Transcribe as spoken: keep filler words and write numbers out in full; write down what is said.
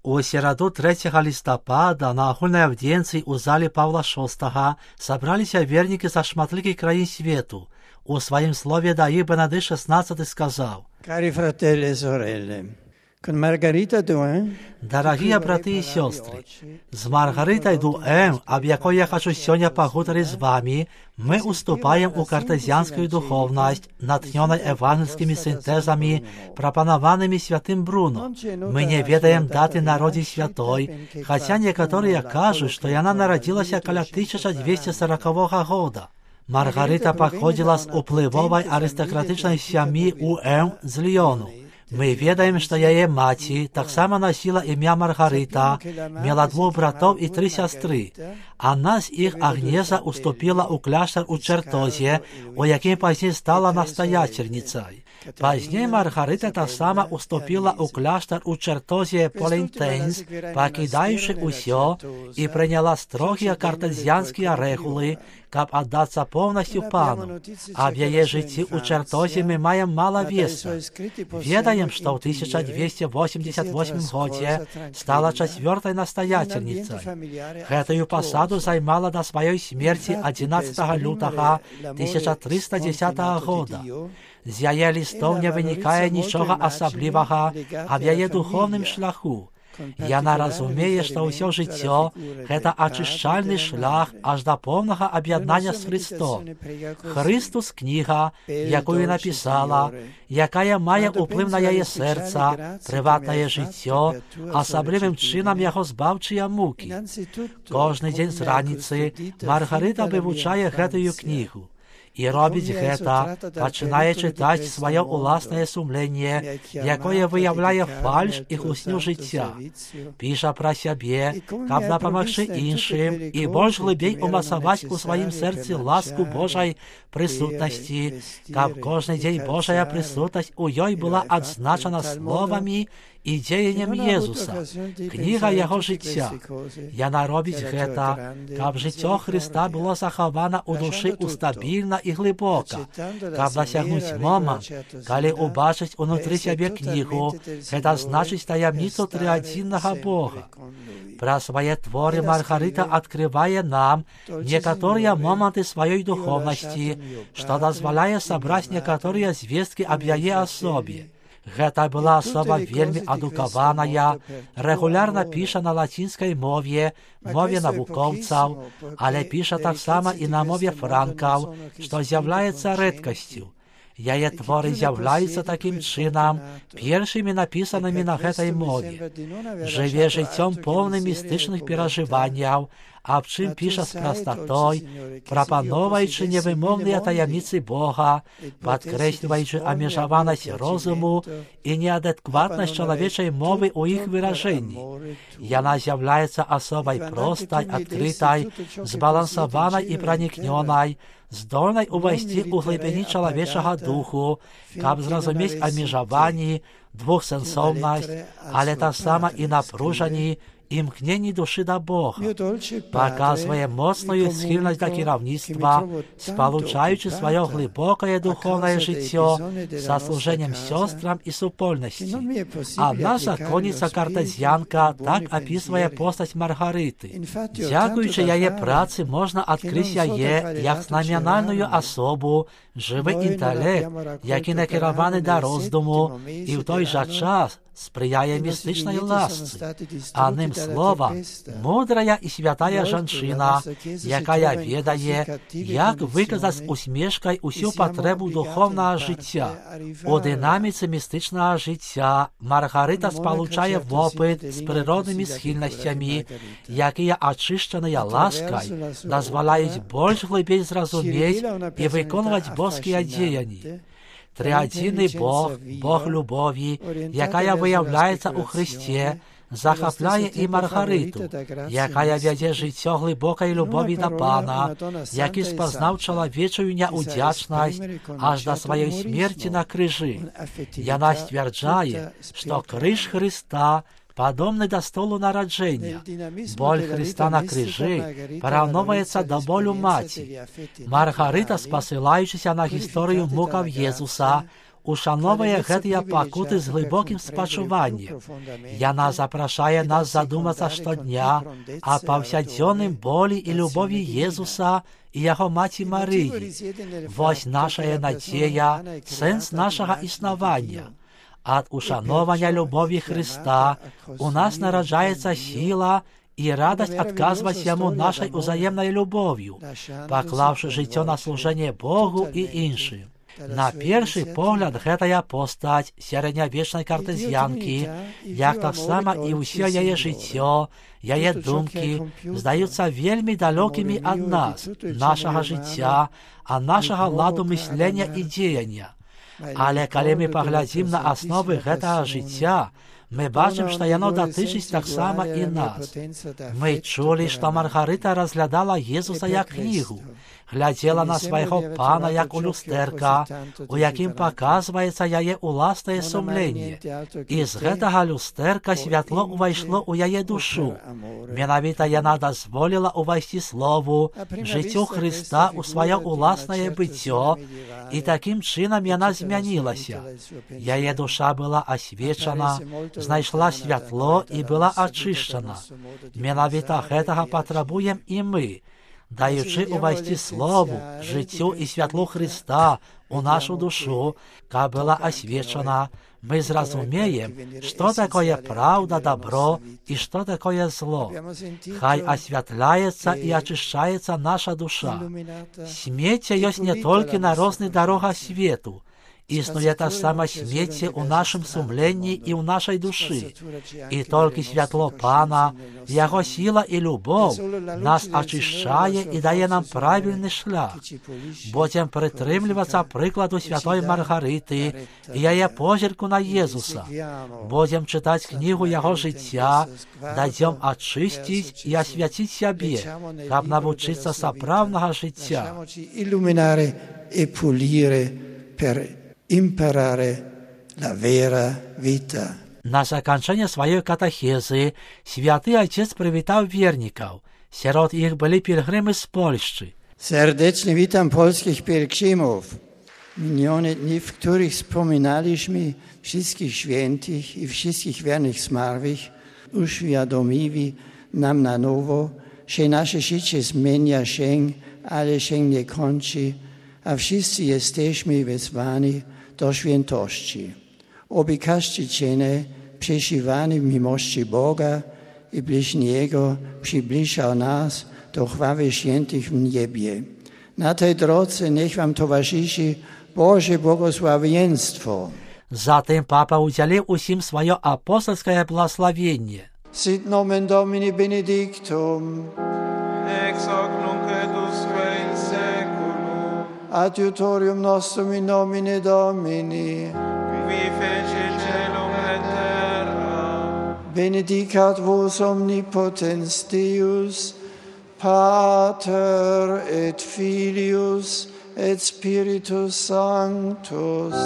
У сераду трэцяга лістапада на агульнай аўдзіенцыі ў зале Паўла шостага сабраліся вернікі са шматлікіх краін свету. У сваім слове да іх Бенедыкт шестнадцаты сказаў: Cari fratelli e sorelle, con Margarita Duin, Дарагія браты і сёстры, з Маргарытай Дуэн, аб якой я хачу сёння пагутарыць з вамі, мы уступаем у картезіянскую духовнасць, натхнёнай евангельскімі сінтэзамі, прапанаванымі святым Бруно. Мы не ведаем даты народзін святой, хаця некаторыя кажуць, што яна нарадзілася каля тысяча дзвесце сорокавога года. Маргарыта паходзіла з уплывовай арыстакратычнай сям'і Уэн з Ліёну. Мы ведаем, што яе маці таксама насіла імя Маргарыта, мела двух братоў і тры сястры. Адна з іх, Агнеза, уступіла ў кляштар у Чертозе, у якім пазней стала настаяцельніцай. Пазней Маргарыта таксама уступіла ў кляштар у Чертозе Полентейнс, пакідаючы ўсё, і прыняла строгія картезіянскія рэгулы, каб аддацца поўнасцю пану. Аб яе жыцці ў Чертозе мы маем мала вестак. Ведаем, што ў тысяча дзвесце восемьдесят восьмым годзе стала чацвёртай настаяцельніцай. Гэтую пасаду займала да сваёй смерці адзінаццатага лютага тысяча трыста дзесятага года. З яе лістоў не вынікае нічога асаблівага аб яе духоўным шляху. Яна разумее, што ўсё жыццё – гэта ачышчальны шлях аж да поўнага аб'яднання з Христом. Христус – кніга, якую напісала, якая мае ўплыў на яе сэрца, прыватнае жыццё, асаблівым чынам яго збаўчыя мукі. Кожны дзень з раніцы Маргарыта вывучае гэтую кнігу. І робіць гэта, пачынае чытаць сваё ўласнае сумленне, якое выяўляе фальш і хлусню жыцця. Піша пра сябе, каб дапамагчы іншым і больш глыбей умацаваць у сваім сэрцы ласку Божай прысутнасці, каб кожны дзень Божая прысутнасць у ёй была адзначана словамі і дзеяннем Езуса, кніга яго жыцця. Яна робіць гэта, каб жыццё Хрыста было захавана ў душы устабільна і глыбока, каб дасягнуць момант, калі ўбачыць унутры сябе кнігу, гэта значыць таямніцу трыадзіннага Бога. Пра свае творы Маргарыта адкрывае нам некаторыя моманты сваёй духовнасці, што дазваляе сабраць некаторыя звесткі аб яе асобе. Гэта была асоба вельмі адукаваная, рэгулярна піша на лацінскай мове, мове навукоўцаў, але піша таксама і на мове франкаў, што з'яўляецца рэдкасцю. Яе творы з'яўляюцца такім чынам першымі напісанымі на гэтай мове. Жыве жыццём поўным містычных перажыванняў, аб чым піша з прастатой, прапаноўваючы невымоўныя таямніцы Бога, падкрэсліваючы абмежаванасць розуму і неадэкватнасць чалавечай мовы ў іх выражэнні. Яна з'яўляецца асобай простай, адкрытай, збалансаванай і пранікнёнай, здольнай увайсці ў глыбіні чалавечага духу, каб зразумець абмежаванні, двухсэнсоўнасць, але таксама і напружанні, імкненні душы да Бога. Паказвае моцную схільнасць да кіраўніцтва, спалучаючы сваё глыбокае духоўнае жыццё са служэннем сёстрам і супольнасці. Адна законніца-картезіянка так апісвае постаць Маргарыты. Дзякуючы яе працы можна адкрыць яе як знаменальную асобу, жывы інтэлект, які накіраваны да роздуму і ў той жа час спрыяе містычнай ласцы. Адным словам, мудрая і святая жанчына, якая ведае, як выказаць з усмешкай усю патрэбу духоўнага жыцця. У дынаміцы містычнага жыцця Маргарыта спалучае вопыт з прыроднымі схільнасцямі, якія ачышчаныя ласкай дазваляюць больш глыбей зразумець і выконваць боскія дзеянні. Трыадзінны Бог, Бог любові, якая выяўляецца ў Хрысце, захапляе і Маргарыту, якая вядзе жыццё глыбокай любові да Пана, які спазнаў чалавечую няўдзячнасць аж да сваёй смерці на крыжы. Яна сцвярджае, што крыж Хрыста падобны да столу нараджэння. Боль Хрыста на крыжы параўноўваецца да болю маці. Маргарыта, спасылаючыся на гісторыю мукаў Езуса, ушановує гетія пакути з глибоким спочуванням. Яна запрошає нас задуматися щодня о повсякденнім болі і любові Єсуса і Його Маті Марії. Ось наша надія, сенс нашого існування. От ушановання любові Христа у нас народжається сила і радость отказувати Йому нашою взаємною любов'ю, поклавши життя на служення Богу і іншим. На перший погляд, гэтая постать середньовічної картезіанки, як так само і усе її життя, її думки, здаються вельми далекими від нас, нашого життя, а нашого ладу мислення і діяння. Але коли ми поглядим на основи гэтага життя, ми бачимо, що воно дотичить так само і нас. Ми чули, що Маргарита розглядала Єсуса як книгу, глядела на свого пана як у люстерка, у яким показується її власне сумління. І з гэтага люстерка світло увійшло у її душу. Менавіта вона дозволила увійти Слову, життю Христа у своє власне биття, і таким чином вона змінилася. Її душа була освячена, знайшла світло і була очищена. Менавіта гэтага потребуємо і ми, даючи увійти Слову, життю і світлу Христа у нашу душу, яка була освячена, ми зрозуміємо, що таке правда, добро і що таке зло. Хай освятляється і очищається наша душа. Сміття є не тільки на різних дорогах світу. Існує та сама сміття у нашому сумленні і у нашій душі. І тільки світло Пана, Його сила і любов нас очищає і дає нам правильний шлях. Будемо притримлюватися прикладу святої Маргарити і її позірку на Єсуса. Будемо читати книгу Його життя, дадемо очистити і освятити себе, щоб навчитися справного життя. Illuminare e pulire per imparare la vera vita. На закінчення своєї катехези святий Отець привітав вірників. Серед їх були пілгрими з Польщі. Serdeczny witam polskich pielgrzymów. Minione dni, w których wspominaliśmy wszystkich świętych i wszystkich wiernych zmarłych, uświadomiły nam na nowo, że nasze życie zmienia się, ale się nie kończy, a wszyscy jesteśmy wezwani do świętości. Oby każdy czynek przeżywany w miłości Boga i bliźniego przybliżał nas do chwały świętych w niebie. Na tej drodze niech wam towarzyszy Boże błogosławieństwo. Затим папа уділив усім своє апостольське благословення. Sit nomen Domini benedictum. Ex hoc nunc et usque in seculum. Adiutorium nostrum in nomine Domini. Qui feci celum et terra. Benedicat vos omnipotens Deus, Pater et Filius et Spiritus Sanctus.